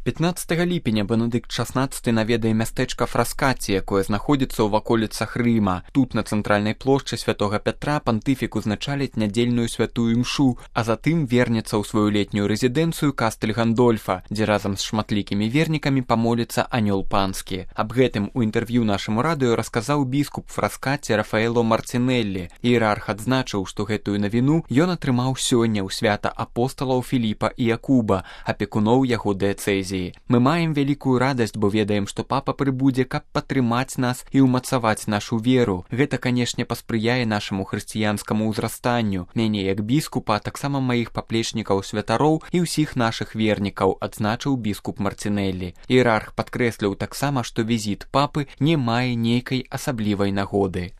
15 ліпеня Бенедыкт XVI наведае мястэчка Фраскаці, якое знаходзіцца ў ваколіцах Рыма. Тут, на цэнтральнай плошчы святога Пятра, пантыфік узначаліць нядзельную святую імшу, а затым вернецца ў сваю летнюю рэзідэнцыю Кастэль Гандольфа, дзе разам з шматлікімі вернікамі памоліцца анёл панскі. Аб гэтым у інтэрв'ю нашаму радыё расказаў біскуп Фраскаці Рафаэло Марцінеллі. Іерарх адзначыў, што гэтую навіну ён атрымаў сёння ў свята апосталаў Філіпа і Якуба, апекуноў яго дыяцэзіі. Мы маем вялікую радасць, бо ведаем, што папа прыбудзе, каб падтрымаць нас і ўмацаваць нашу веру. Гэта, канешне, паспрыяе нашаму хрысціянскаму ўзрастанню. Мяне як біскупа, таксама маіх паплечнікаў святароў і ўсіх нашых вернікаў, адзначыў біскуп Марцінеллі. Іерарх падкрэсліў таксама, што візіт папы не мае нейкай асаблівай нагоды.